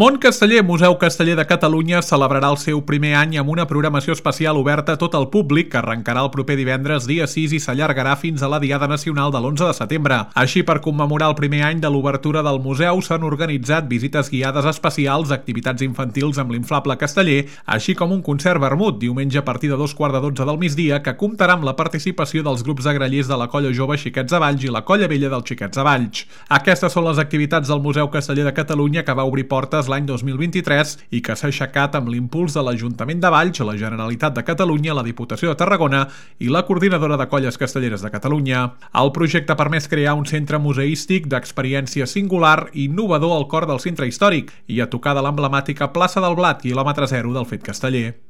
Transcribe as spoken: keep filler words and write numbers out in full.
Món Casteller, Museu Casteller de Catalunya, celebrarà el seu primer any amb una programació especial oberta a tot el públic que arrencarà el proper divendres dia sis i s'allargarà fins a la Diada Nacional de l'onze de setembre. Així, per commemorar el primer any de l'obertura del museu, s'han organitzat visites guiades especials, activitats infantils amb l'inflable casteller, així com un concert vermut, diumenge a partir de dos quarts de dotze del migdia, que comptarà amb la participació dels grups de grallers de la Colla Jove Xiquets de Valls i la Colla Vella dels Xiquets de Valls. Aquestes són les activitats del Museu Casteller de Catalunya, que va obrir portes l'any dos mil vint-i-tres i que s'ha aixecat amb l'impuls de l'Ajuntament de Valls, la Generalitat de Catalunya, la Diputació de Tarragona i la Coordinadora de Colles Castelleres de Catalunya. El projecte ha permès crear un centre museístic d'experiència singular i innovador al cor del centre històric i a tocar de l'emblemàtica plaça del Blat, quilòmetre zero del Fet Casteller.